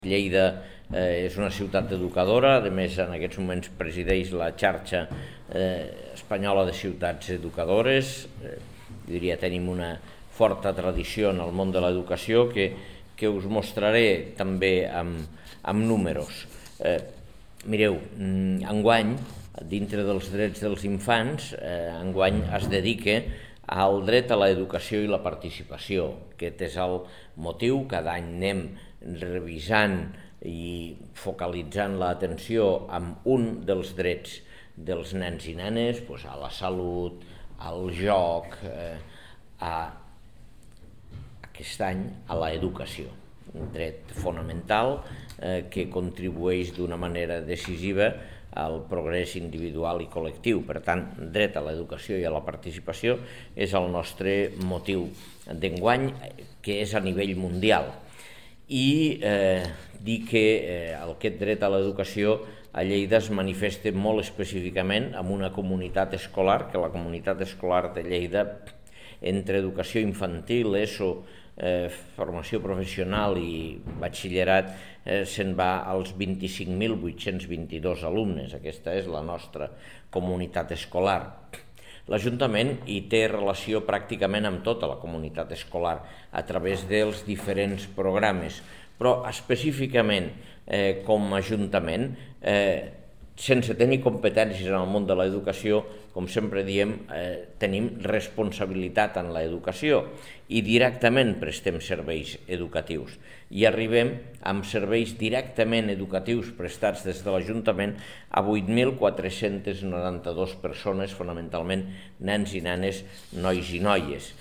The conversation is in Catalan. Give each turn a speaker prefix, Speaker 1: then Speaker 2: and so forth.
Speaker 1: Lleida és una ciutat educadora, a més en aquests moments presideix la xarxa espanyola de ciutats educadores. Diria tenim una forta tradició en el món de l'educació que us mostraré també amb números. Mireu, enguany, dintre dels drets dels infants, enguany es dedica al dret a l'educació i la participació. Aquest és el motiu, cada any anem revisant i focalitzant l'atenció amb un dels drets dels nens i nenes, a la salut, al joc, aquest any a l'educació, un dret fonamental que contribueix d'una manera decisiva al progrés individual i col·lectiu. Per tant, dret a l'educació i a la participació és el nostre motiu d'enguany, que és a nivell mundial. I dir que aquest dret a l'educació a Lleida es manifesta molt específicament amb una comunitat escolar, que la comunitat escolar de Lleida, entre educació infantil, ESO, formació professional i batxillerat, se'n va als 25.822 alumnes. Aquesta és la nostra comunitat escolar. L'Ajuntament hi té relació pràcticament amb tota la comunitat escolar a través dels diferents programes, però específicament com a Ajuntament, sense tenir competències en el món de l'educació, com sempre diem, tenim responsabilitat en l'educació i directament prestem serveis educatius. I arribem amb serveis directament educatius prestats des de l'Ajuntament a 8.492 persones, fonamentalment nens i nenes, nois i noies.